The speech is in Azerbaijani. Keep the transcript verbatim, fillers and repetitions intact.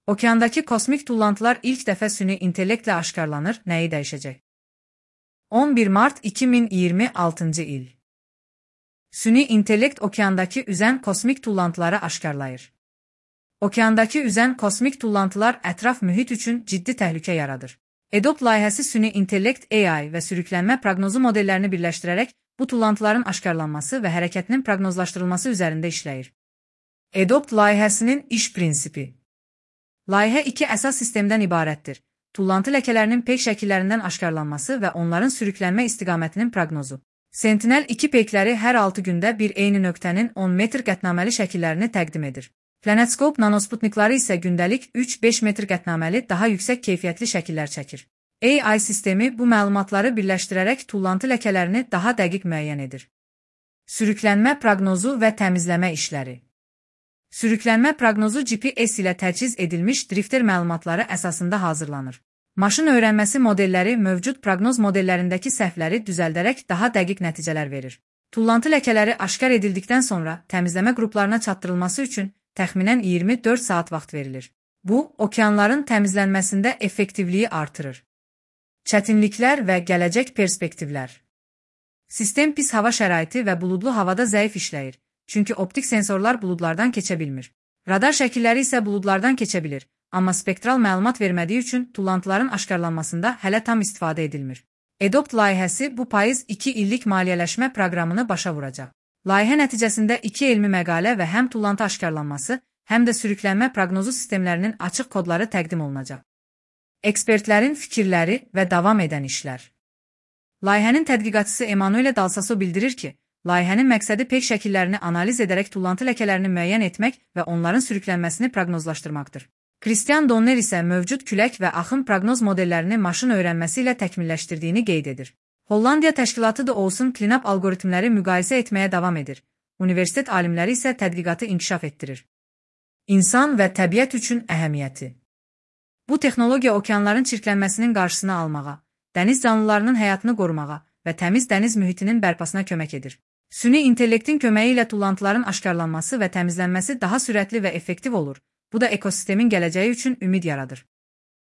Okeandakı kosmik tullantılar ilk dəfə süni intellektlə aşkarlanır, nəyi dəyişəcək? on bir Mart iki min iyirmi altıncı il. Süni intellekt okeandakı üzən kosmik tullantıları aşkarlayır. Okeandakı üzən kosmik tullantılar ətraf mühit üçün ciddi təhlükə yaradır. EDOPT layihəsi süni intellekt A I və sürüklənmə proqnozu modellərini birləşdirərək bu tullantıların aşkarlanması və hərəkətinin proqnozlaşdırılması üzərində işləyir. EDOPT layihəsinin iş prinsipi. Layihə iki əsas sistemdən ibarətdir. Tullantı ləkələrinin peyk şəkillərindən aşkarlanması və onların sürüklənmə istiqamətinin proqnozu. Sentinel iki peykləri hər altı gündə bir eyni nöqtənin on metr qətnaməli şəkillərini təqdim edir. PlanetScope nanosputnikları isə gündəlik üç beş metr qətnaməli daha yüksək keyfiyyətli şəkillər çəkir. A I sistemi bu məlumatları birləşdirərək tullantı ləkələrini daha dəqiq müəyyən edir. Sürüklənmə proqnozu və təmizləmə işləri. Sürüklənmə proqnozu G P S ilə təchiz edilmiş drifter məlumatları əsasında hazırlanır. Maşın öyrənməsi modelləri mövcud proqnoz modellərindəki səhvləri düzəldərək daha dəqiq nəticələr verir. Tullantı ləkələri aşkar edildikdən sonra təmizləmə qruplarına çatdırılması üçün təxminən iyirmi dörd saat vaxt verilir. Bu, okeanların təmizlənməsində effektivliyi artırır. Çətinliklər və gələcək perspektivlər. Sistem pis hava şəraiti və buludlu havada zəif işləyir, çünki optik sensorlar buludlardan keçə bilmir. Radar şəkilləri isə buludlardan keçə bilir, amma spektral məlumat vermədiyi üçün tullantıların aşkarlanmasında hələ tam istifadə edilmir. EDOPT layihəsi bu payız iki illik maliyyələşmə proqramını başa vuracaq. Layihə nəticəsində iki elmi məqalə və həm tullantı aşkarlanması, həm də sürüklənmə proqnozu sistemlərinin açıq kodları təqdim olunacaq. Ekspertlərin fikirləri və davam edən işlər. Layihənin tədqiqatçısı Emanuele Dalsaso bildirir ki, layihənin məqsədi peyk şəkillərini analiz edərək tullantı ləkələrini müəyyən etmək və onların sürüklənməsini proqnozlaşdırmaqdır. Christian Donner isə mövcud külək və axın proqnoz modellərini maşın öyrənməsi ilə təkmilləşdirdiyini qeyd edir. Hollandiya təşkilatı da olsun cleanup algoritmləri müqayisə etməyə davam edir. Universitet alimləri isə tədqiqatı inkişaf etdirir. İnsan və təbiət üçün əhəmiyyəti. Bu texnologiya okeanların çirklənməsinin qarşısını almağa, dəniz canlılarının həyatını qorumağa və təmiz dəniz mühitinin bərpasına kömək edir. Süni intellektin köməyi ilə tullantıların aşkarlanması və təmizlənməsi daha sürətli və effektiv olur. Bu da ekosistemin gələcəyi üçün ümid yaradır.